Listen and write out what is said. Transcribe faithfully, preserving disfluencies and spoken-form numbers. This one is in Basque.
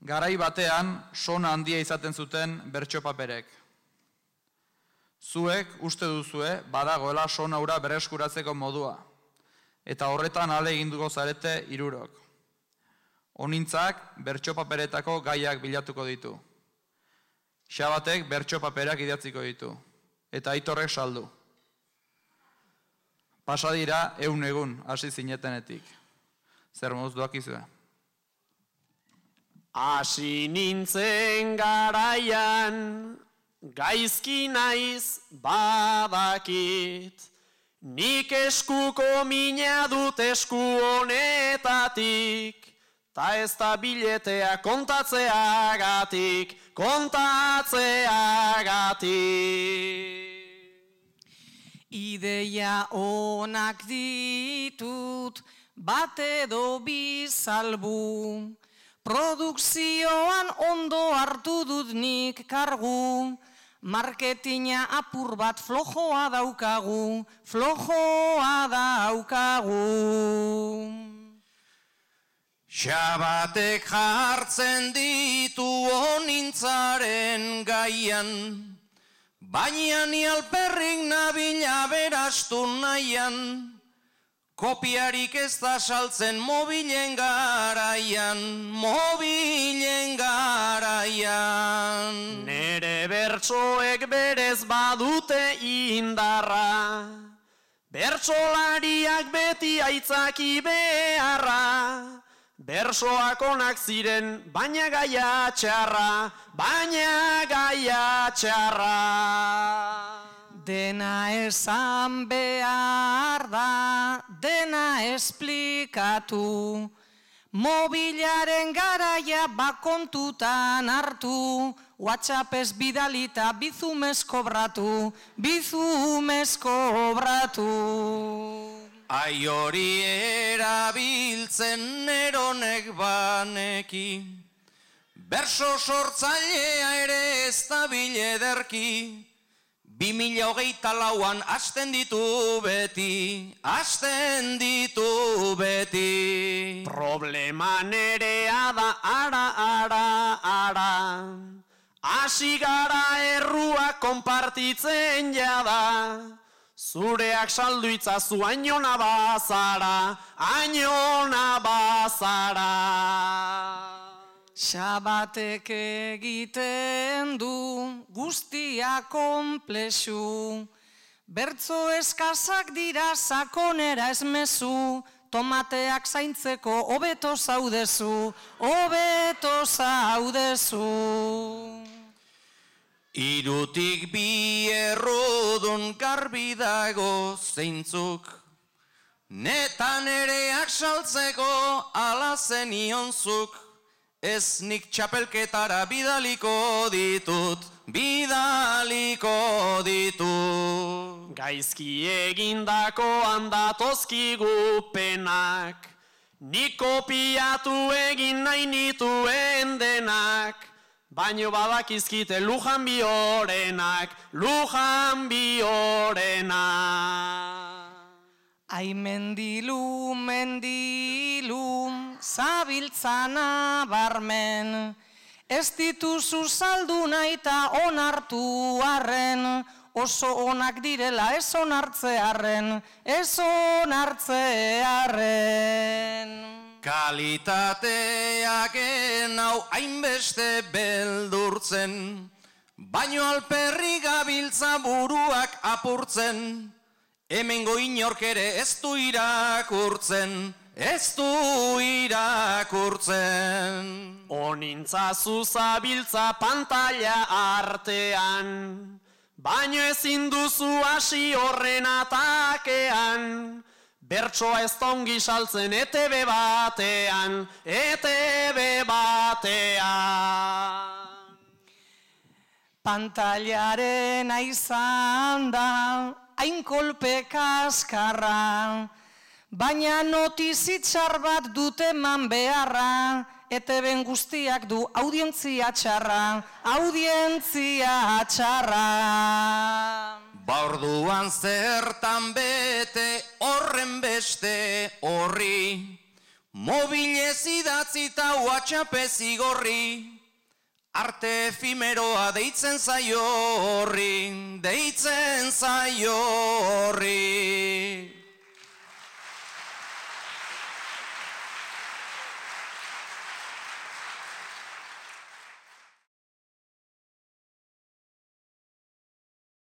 Garai batean, sona handia izaten zuten bertso paperek. Zuek uste duzue badagoela sona hura berreskuratzeko modua, eta horretan ale eginduko zarete hirurok. Honintzak bertso paperetako gaiak bilatuko ditu. Xabatek bertso paperak idatziko ditu, eta Aitorrek saldu. Pasadira ehun egun hasi zinetenetik. Zer moduz doakizue? Hasi nintzen garaian, gaizki naiz badakit, nik eskuko mina dut esku honetatik, ta ez da biletea kontatzeagatik, kontatzeagatik. Ideia onak ditut, bat edo bi salbu, produkzioan ondo hartu dut nik kargu, marketina apur bat flojoa daukagu, flojoa daukagu. Xabatek jartzen ditu honintzaren gaian, baina ni alperrik nabila berastu nahian, kopiarik ez da saltzen mobilen garaian, mobilen garaian. Nere bertsoek berez badute indarra, bertsolariak beti aitzaki beharra, bersoak onak ziren, baina gaia txarra, baina gaia txarra. Dena esan behar da, dena esplikatu, mobilaren garaia bakontutan hartu, WhatsAppez bidalita bizumez kobratu, bizumez kobratu. Ai hori erabiltzen neronek baneki, berso sortzailea ere ez da bilederki, bi mila hogeita lauan hasten ditu beti, hasten ditu beti. Problema nerea da ara, ara, ara, hasi gara errua konpartitzen jada, zureak saldu itzazu ainona bazara, ainona bazara. Xabatek egiten du guztia konplexu, bertzo eskazak dira sakonera esmezu, tomateak zaintzeko hobeto zaudezu, hobeto zaudezu. Irutik bi errudun garbi dago zeintzuk, netan ereak saltzeko ala zenionzuk, ez nik txapelketara bidaliko ditut, bidaliko ditut. Gaizki egindako handatozkigu penak, nik kopiatu egin nahi nituen denak, baino badakizkite lujan biorenak, lujan biorenak. Ai mendilu, mendilu, zabiltzana barmen, ez dituzu saldu nahi eta onartu arren, oso onak direla ez onartzearren, ez onartzearren. Kalitateak enau hainbeste beldurtzen, baino alperri gabiltza buruak apurtzen, hemengo inork ere ez du irakurtzen, ez du irakurtzen. Honintzazu zabiltza pantalla artean, baino ezin duzu hasi horren atakean, bertsoa ez ongi saltzen E T B batean, E T B batean. Pantailaren aizan da, hain kolpe kaskarra, baina notizitxar bat dute man beharra, E T B guztiak du audientzia txarra, audientzia txarra. Baorduan zertan bete horren beste horri, mobilez idatzita WhatsApp zigorri, arte efimeroa deitzen zaio horri, deitzen zaio horri.